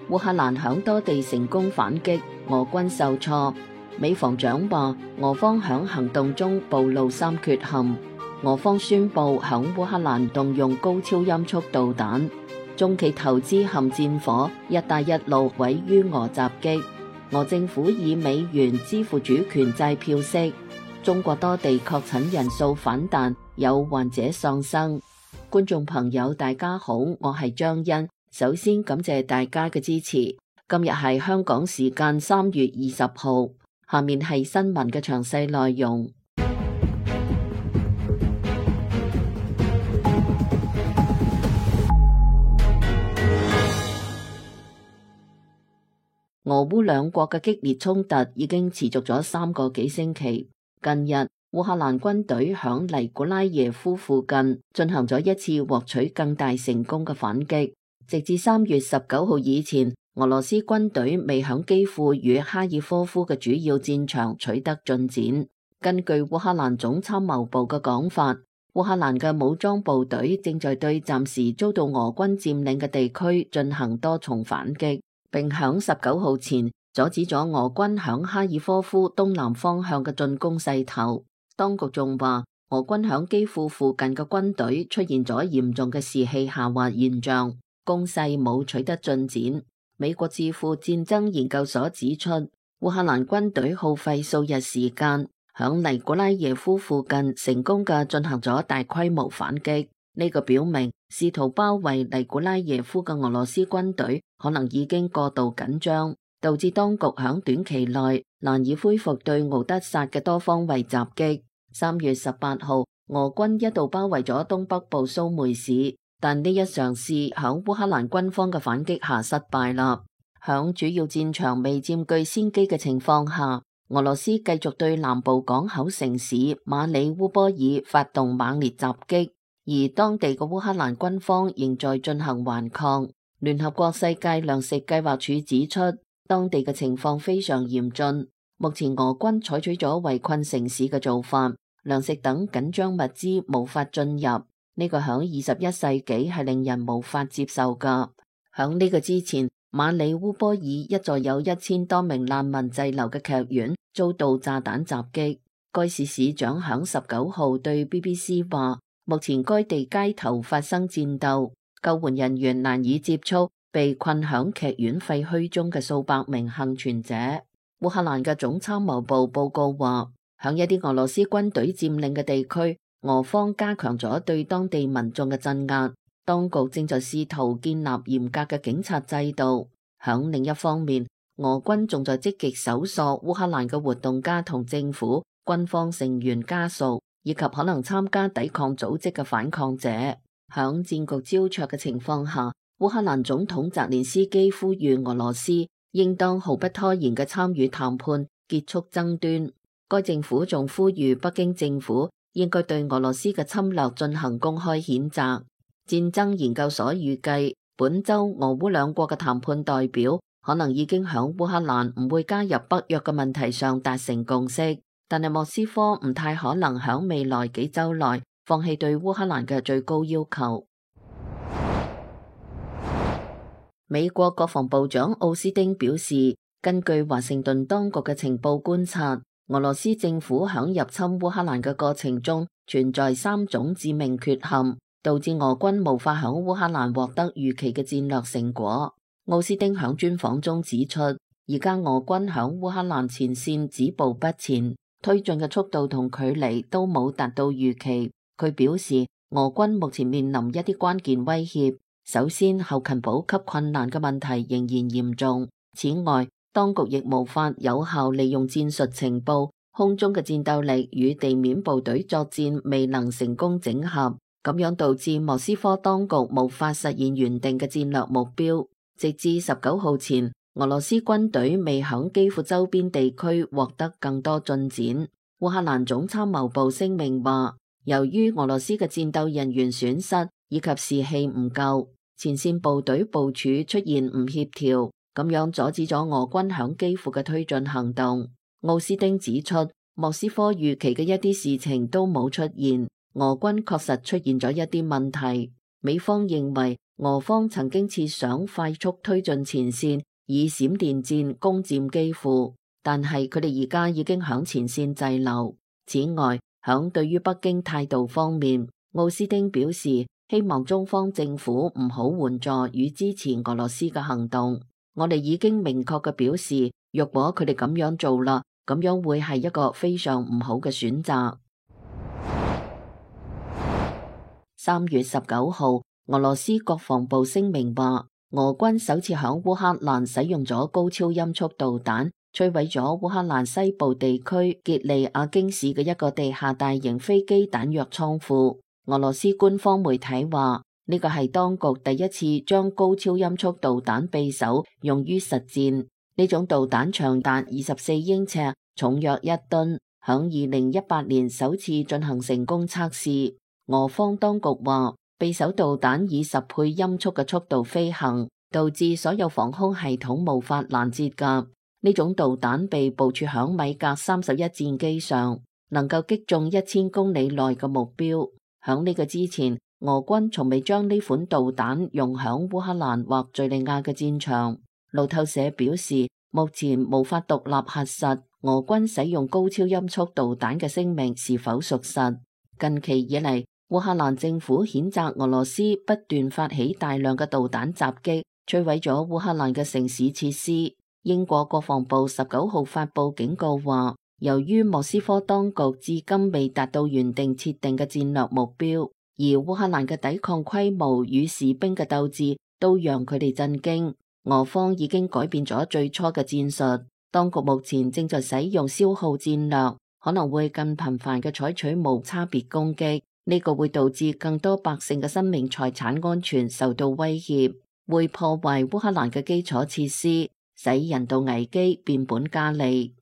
烏克蘭響多地成功反擊，俄軍受挫。美防長話，俄方響行動中暴露3缺陷。俄方宣布響烏克蘭動用高超音速導彈。中企投資陷戰火，一帶一路毀於俄襲擊。俄政府以美元支付主權債票息。中國多地確診人數反彈，有患者喪生。觀眾朋友大家好，我係張欣。首先感謝大家嘅支持。今日係香港時間3月20號，下面係新聞嘅詳細內容。俄烏兩國嘅激烈衝突已經持續咗3個幾星期。近日，烏克蘭軍隊響尼古拉耶夫附近進行咗一次獲取更大成功嘅反擊。直至3月19號以前，俄羅斯軍隊未響基輔與哈爾科夫嘅主要戰場取得進展。根據烏克蘭總參謀部嘅講法，烏克蘭嘅武裝部隊正在對暫時遭到俄軍佔領嘅地區進行多重反擊，並響19號前阻止咗俄軍響哈爾科夫東南方向嘅進攻勢頭。當局仲話，俄軍響基輔附近嘅軍隊出現咗嚴重嘅士氣下滑現象，攻勢冇取得進展。美國智庫戰爭研究所指出，烏克蘭軍隊耗費數日時間，響尼古拉耶夫附近成功嘅進行咗大規模反擊。呢個表明，試圖包圍尼古拉耶夫嘅俄羅斯軍隊可能已經過度緊張，導致當局響短期內難以恢復對敖德薩嘅多方位襲擊。3月18號，俄軍一度包圍咗東北部蘇梅市，但呢一嘗試響烏克蘭軍方嘅反擊下失敗啦。響主要戰場未佔據先機嘅情況下，俄羅斯繼續對南部港口城市馬里烏波爾發動猛烈襲擊，而當地嘅烏克蘭軍方仍在進行頑抗。聯合國世界糧食計劃署指出，當地嘅情況非常嚴峻。目前俄軍採取咗圍困城市嘅做法，糧食等緊張物資無法進入。呢個響21世紀係令人無法接受噶。響呢個之前，馬里烏波爾一座有1000多名難民滯留嘅劇院遭到炸彈襲擊。該市市長響19號對 BBC 話，目前該地街頭發生戰鬥，救援人員難以接觸被困響劇院廢墟中嘅數百名幸存者。烏克蘭嘅總參謀部報告話，響一啲俄羅斯軍隊佔領嘅地區，俄方加強咗對當地民眾嘅鎮壓，當局正在試圖建立嚴格嘅警察制度。響另一方面，俄軍仲在積極搜索烏克蘭嘅活動家同政府、軍方成員家屬，以及可能參加抵抗組織嘅反抗者。響戰局膠着嘅情況下，烏克蘭總統澤連斯基呼籲俄羅斯應當毫不拖延嘅參與談判，結束爭端。該政府仲呼籲北京政府應該對俄羅斯嘅侵略進行公開譴責。戰爭研究所預計，本周俄烏兩國嘅談判代表可能已經響烏克蘭唔會加入北約嘅問題上達成共識，但係莫斯科唔太可能響未來幾周內放棄對烏克蘭嘅最高要求。美國國防部長奧斯汀表示，根據華盛頓當局嘅情報觀察，俄羅斯政府響入侵烏克蘭嘅過程中存在3種致命缺陷，導致俄軍無法響烏克蘭獲得預期嘅戰略成果。奧斯汀響專訪中指出，而家俄軍響烏克蘭前線止步不前，推進嘅速度同距離都冇達到預期。佢表示，俄軍目前面臨一啲關鍵威脅。首先，後勤補給困難嘅問題仍然嚴重。此外，當局亦無法有效利用戰術情報，空中嘅戰鬥力與地面部隊作戰未能成功整合，咁樣導致莫斯科當局無法實現原定嘅戰略目標。直至19號前，俄羅斯軍隊未響基輔周邊地區獲得更多進展。烏克蘭總參謀部聲明話，由於俄羅斯嘅戰鬥人員損失以及士氣唔夠，前線部隊部署出現唔協調，咁樣阻止咗俄軍響基輔嘅推進行動。奧斯汀指出，莫斯科預期嘅一啲事情都冇出現，俄軍確實出現咗一啲問題。美方認為俄方曾經設想快速推進前線，以閃電戰攻佔基輔，但係佢哋而家已經響前線滯留。此外，響對於北京態度方面，奧斯汀表示希望中方政府唔好援助與支持俄羅斯嘅行動。我哋已經明確嘅表示，若果佢哋咁樣做啦，咁樣會係一個非常唔好嘅選擇。3月19號，俄羅斯國防部聲明話，俄軍首次響烏克蘭使用咗高超音速導彈，摧毀咗烏克蘭西部地區傑利亞京市嘅一個地下大型飛機彈藥倉庫。俄羅斯官方媒體話，呢個係當局第一次將高超音速導彈匕首用於實戰。呢種導彈長達24英尺，重約1噸，響2018年首次進行成功測試。俄方當局話，匕首導彈以10倍音速嘅速度飛行，導致所有防空系統無法攔截㗎。呢種導彈被部署響米格31戰機上，能夠擊中1000公里內嘅目標。響呢個之前，俄軍從未將呢款導彈用響烏克蘭或敘利亞嘅戰場。路透社表示，目前無法獨立核實俄軍使用高超音速導彈嘅聲明是否屬實。近期以嚟，烏克蘭政府譴責俄羅斯不斷發起大量嘅導彈襲擊，摧毀咗烏克蘭嘅城市設施。英國國防部19號發佈警告話，由於莫斯科當局至今未達到原定設定嘅戰略目標，而烏克蘭嘅抵抗規模與士兵嘅鬥志都讓佢哋震驚。俄方已經改變咗最初嘅戰術，當局目前正在使用消耗戰略，可能會更頻繁嘅採取無差別攻擊，呢個會導致更多百姓嘅生命財產安全受到威脅，會破壞烏克蘭嘅基礎設施，使人道危機變本加厲。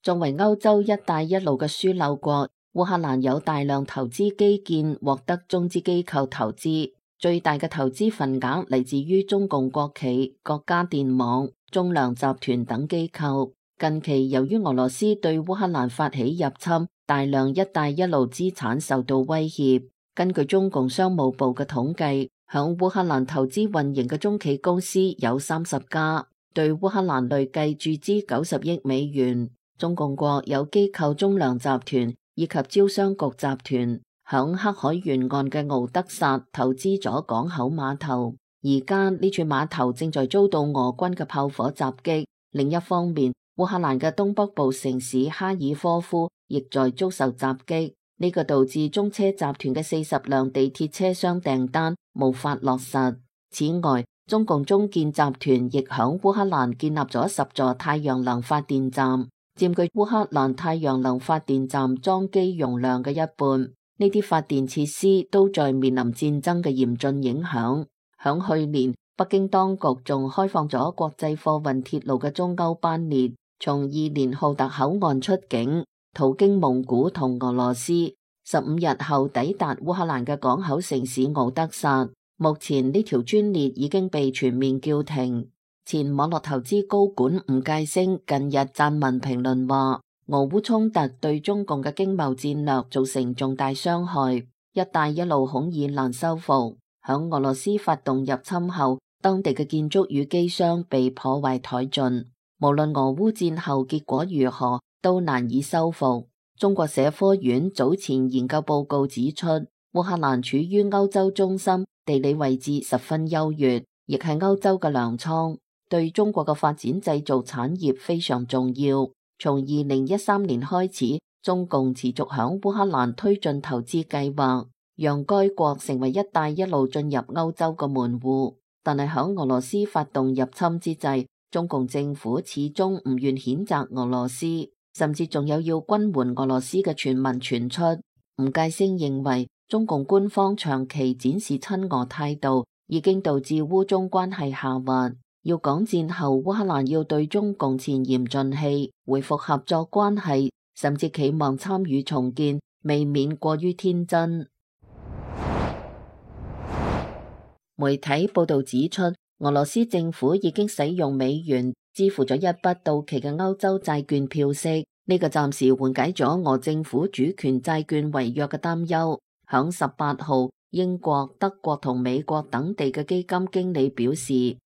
作為歐洲一帶一路嘅樞紐國，烏克蘭有大量投資基建獲得中資機構投資，最大嘅投資份額嚟自於中共國企、國家電網、中糧集團等機構。近期由於俄羅斯對烏克蘭發起入侵，大量一帶一路資產受到威脅。根據中共商務部嘅統計，響烏克蘭投資運營嘅中企公司有30家，對烏克蘭累計注資90億美元。中共國有機構中糧集團以及招商局集團響黑海沿岸嘅敖德薩投資咗港口碼頭，而家呢處碼頭正在遭到俄軍嘅炮火襲擊。另一方面，烏克蘭嘅東北部城市哈爾科夫亦在遭受襲擊，呢個導致中車集團嘅40輛地鐵車廂訂單無法落實。此外，中共中建集團亦響烏克蘭建立咗10座太陽能發電站，佔據烏克蘭太陽能發電站裝機容量嘅一半。呢啲發電設施都在面臨戰爭嘅嚴峻影響。響去年，北京當局仲開放咗國際貨運鐵路嘅中歐班列，從伊連浩特口岸出境，途經蒙古同俄羅斯，15日後抵達烏克蘭嘅港口城市敖德薩。目前呢條專列已經被全面叫停。前網絡投資高管吳介星近日撰文評論話，俄烏衝突對中共嘅經貿戰略造成重大傷害，一帶一路恐已難修復。響俄羅斯發動入侵後，當地嘅建築與機箱被破壞殆盡，無論俄烏戰後結果如何，都難以修復。中國社科院早前研究報告指出，烏克蘭處於歐洲中心，地理位置十分優越，亦係歐洲嘅糧倉，對中國嘅發展製造產業非常重要。從2013年開始，中共持續響烏克蘭推進投資計劃，讓該國成為一帶一路進入歐洲嘅門戶。但係響俄羅斯發動入侵之際，中共政府始終唔願譴責俄羅斯，甚至仲有要軍援俄羅斯嘅傳聞傳出。吳介星認為，中共官方長期展示親俄態度，已經導致烏中關係下滑。要講戰後烏克蘭要對中共前言盡棄，恢復合作關係，甚至期望參與重建，未免過於天真。媒體報道指出，俄羅斯政府已經使用美元支付咗一筆到期嘅歐洲債券票息，呢個暫時緩解咗俄政府主權債券違約嘅擔憂。響18號，英國、德國同美國等地嘅基金經理表示，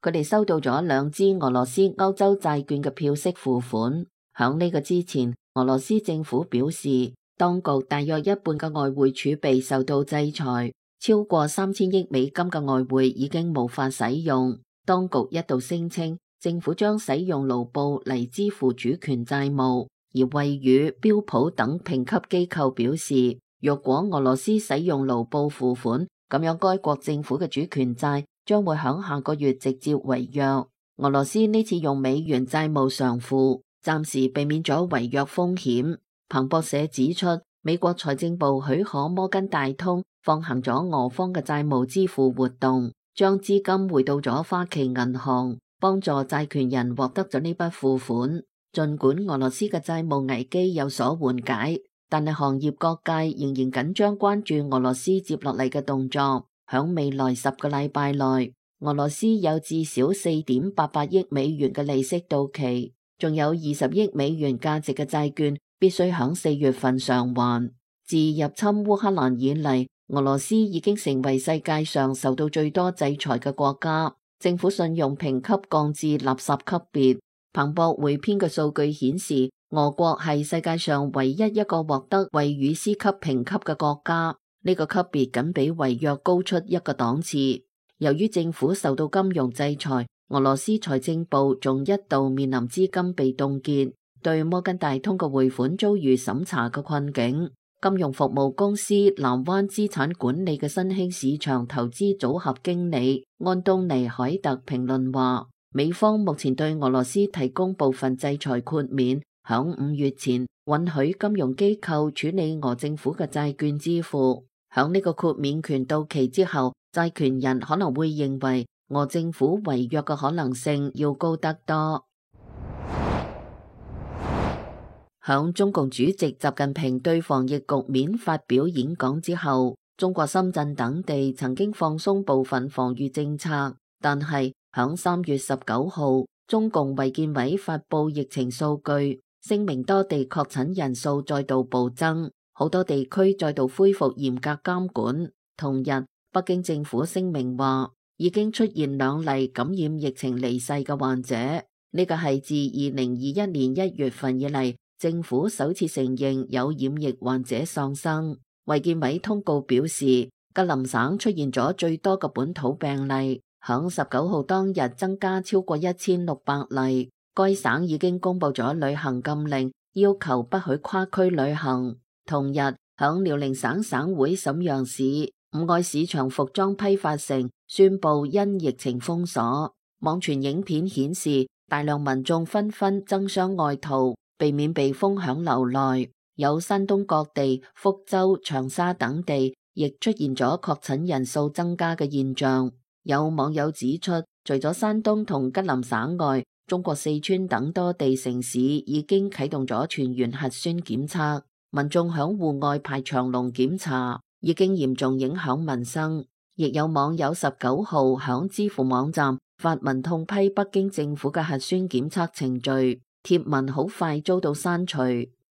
佢哋收到咗2支俄羅斯歐洲債券嘅票息付款。響呢個之前，俄羅斯政府表示，當局大約一半嘅外匯儲備受到制裁，超過3000億美金嘅外匯已經無法使用。當局一度聲稱，政府將使用盧布嚟支付主權債務，而惠譽、標普等評級機構表示，若果俄羅斯使用盧布付款，咁樣該國政府嘅主權債將會響下個月直接違約。俄羅斯呢次用美元債務償付，暫時避免咗違約風險。彭博社指出，美國財政部許可摩根大通放行咗俄方嘅債務支付活動，將資金匯到咗花旗銀行，幫助債權人獲得咗呢筆付款。儘管俄羅斯嘅債務危機有所緩解，但係行業各界仍然緊張關注俄羅斯接落嚟嘅動作。響未來10個禮拜內，俄羅斯有至少4.88億美元嘅利息到期，仲有20億美元價值嘅債券必須響4月份償還。自入侵烏克蘭以嚟，俄羅斯已經成為世界上受到最多制裁嘅國家，政府信用評級降至垃圾級別。彭博匯編嘅數據顯示，俄國係世界上唯一一個獲得惠譽 C 級評級嘅國家，呢個級別僅比違約高出一個檔次。由於政府受到金融制裁，俄羅斯財政部仲一度面臨資金被凍結，對摩根大通嘅匯款遭遇審查嘅困境。金融服務公司南灣資產管理嘅新興市場投資組合經理安東尼海特評論話，美方目前對俄羅斯提供部分制裁豁免，響5月前允許金融機構處理俄政府嘅債券支付。響呢個豁免權到期之後，債權人可能會認為俄政府違約嘅可能性要高得多。響中共主席習近平對防疫局面發表演講之後，中國深圳等地曾經放鬆部分防禦政策，但係響3月19號，中共衛健委發布疫情數據，聲明多地確診人數再度暴增，好多地區再度恢復嚴格監管。同日，北京政府聲明話，已經出現2例感染疫情離世嘅患者，呢個係自2021年1月份以嚟，政府首次承認有染疫患者喪生。衛健委通告表示，吉林省出現咗最多嘅本土病例，響19號當日增加超過1600例。該省已經公布咗旅行禁令，要求不許跨區旅行。同日，響遼寧省省會瀋陽市五愛市場服裝批發城宣布因疫情封鎖。網傳影片顯示，大量民眾紛紛爭相外逃，避免被封響樓內。有山東各地、福州、長沙等地亦出現咗確診人數增加嘅現象。有網友指出，除咗山東同吉林省外，中國四川等多地城市已經啟動咗全員核酸檢測，民眾響戶外排長龍檢查，已經嚴重影響民生。亦有網友19號響知乎網站發文痛批北京政府嘅核酸檢測程序，貼文好快遭到刪除。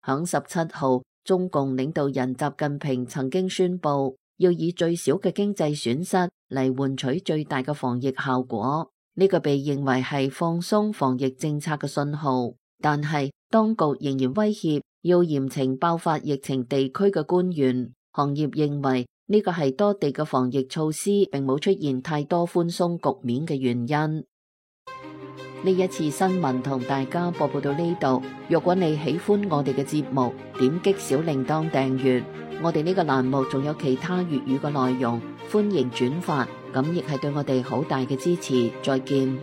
響17號，中共領導人習近平曾經宣布，要以最少嘅經濟損失嚟換取最大嘅防疫效果。呢個被認為係放鬆防疫政策嘅信號，但係當局仍然威脅要嚴懲爆發疫情地區嘅官員。行業認為呢個係多地嘅防疫措施並冇出現太多寬鬆局面嘅原因。呢一次新聞同大家播報到呢度。若果你喜歡我哋嘅節目，點擊小鈴鐺訂閱。我哋呢個欄目仲有其他粵語嘅內容，歡迎轉發，咁亦係對我哋好大嘅支持。再見。